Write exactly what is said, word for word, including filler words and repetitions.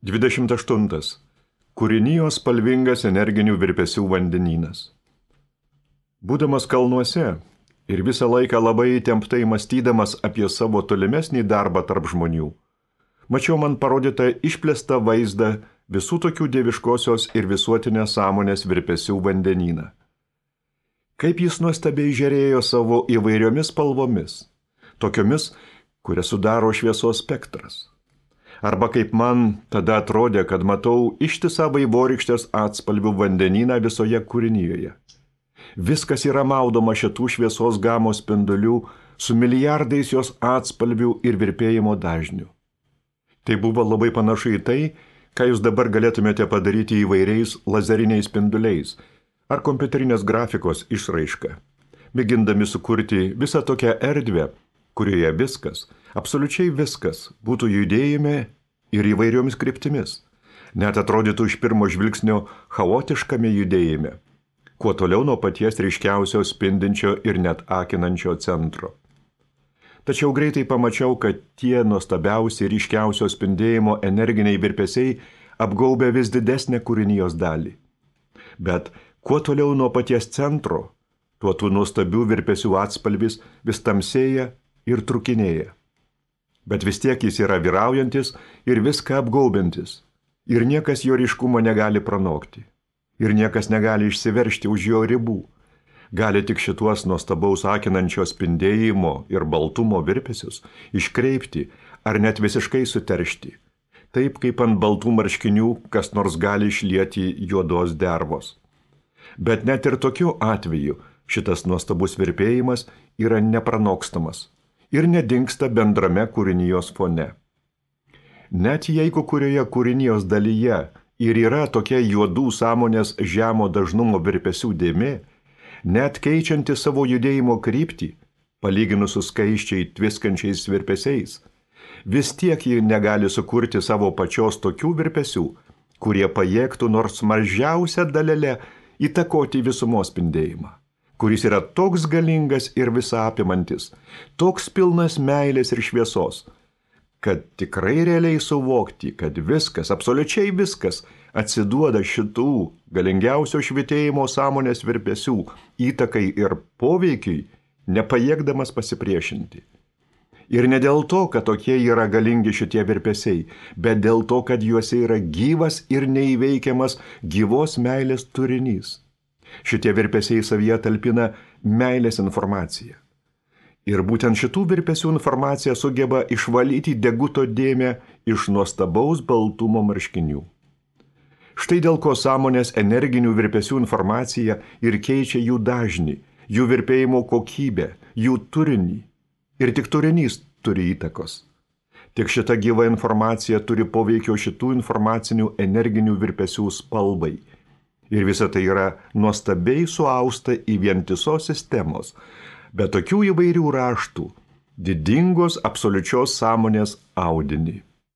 dvidešimt aštuntas. Kūrinijos spalvingas energinių virpesių vandenynas. Būdamas kalnuose ir visą laiką labai įtemptai mąstydamas apie savo tolimesnį darbą tarp žmonių, mačiau man parodytą išplėstą vaizdą visų tokių dieviškosios ir visuotinės sąmonės virpesių vandenyną. Kaip jis nuostabiai žėrėjo savo įvairiomis spalvomis, tokiomis, kurias sudaro šviesos spektras. Arba kaip man tada atrodė, kad matau ištisą vaivorykštės atspalvių vandenyną visoje kūrinijoje. Viskas yra maudoma šitų šviesos gamos spindulių su milijardais jos atspalvių ir virpėjimo dažnių. Tai buvo labai panašu į tai, ką jūs dabar galėtumėte padaryti įvairiais lazeriniais spinduliais ar kompiuterinės grafikos išraiška, mėgindami sukurti visą tokią erdvę, kurioje viskas, absoliučiai viskas, būtų judėjime ir įvairiomis kryptimis, net atrodytų iš pirmo žvilgsnio chaotiškame judėjime, kuo toliau nuo paties ryškiausio spindinčio ir net akinančio centro. Tačiau greitai pamačiau, kad tie nuostabiausi ryškiausio spindėjimo energiniai virpesiai apgaubia vis didesnę kūrinijos dalį. Bet kuo toliau nuo paties centro, tuo tų nuostabių virpesių atspalvis vis tamsėja ir trukinėja. Bet vis tiek jis yra vyraujantis ir viską apgaubiantis, ir niekas jo ryškumo negali pranokti, ir niekas negali išsiveržti už jo ribų, gali tik šituos nuostabaus akinančio spindėjimo ir baltumo virpesius iškreipti ar net visiškai suteršti, taip kaip ant baltų marškinių kas nors gali išlieti juodos dervos. Bet net ir tokiu atveju šitas nuostabus virpėjimas yra nepranokstamas ir nedingsta bendrame kūrinijos fone. Net jeigu kurioje kūrinijos dalyje ir yra tokia juodų sąmonės žemo dažnumo virpesių dėmė, net keičianti savo judėjimo kryptį, palyginus su skaisčiai tviskančiais virpesiais, vis tiek ji negali sukurti savo pačios tokių virpesių, kurie pajėgtų nors mažiausią dalelę įtakoti visumos spindėjimą, kuris yra toks galingas ir visą apimantis, toks pilnas meilės ir šviesos, kad tikrai realiai suvokti, kad viskas, absoliučiai viskas, atsiduoda šitų galingiausio švitėjimo sąmonės virpesių įtakai ir poveikiai, nepajėgdamas pasipriešinti. Ir ne dėl to, kad tokie yra galingi šitie virpesiai, bet dėl to, kad juose yra gyvas ir neįveikiamas gyvos meilės turinys. Šitie virpesiai savyje talpina meilės informaciją. Ir būtent šitų virpesių informacija sugeba išvalyti deguto dėmę iš nuostabaus baltumo marškinių. Štai dėl ko sąmonės energinių virpesių informacija ir keičia jų dažnį, jų virpėjimo kokybę, jų turinį. Ir tik turinys turi įtakos. Tik šita gyva informacija turi poveikio šitų informacinių energinių virpesių spalvai. Ir visa tai yra nuostabiai suausta į vientisos sistemos, bet tokių įvairių raštų, didingos absoliučios sąmonės audinį.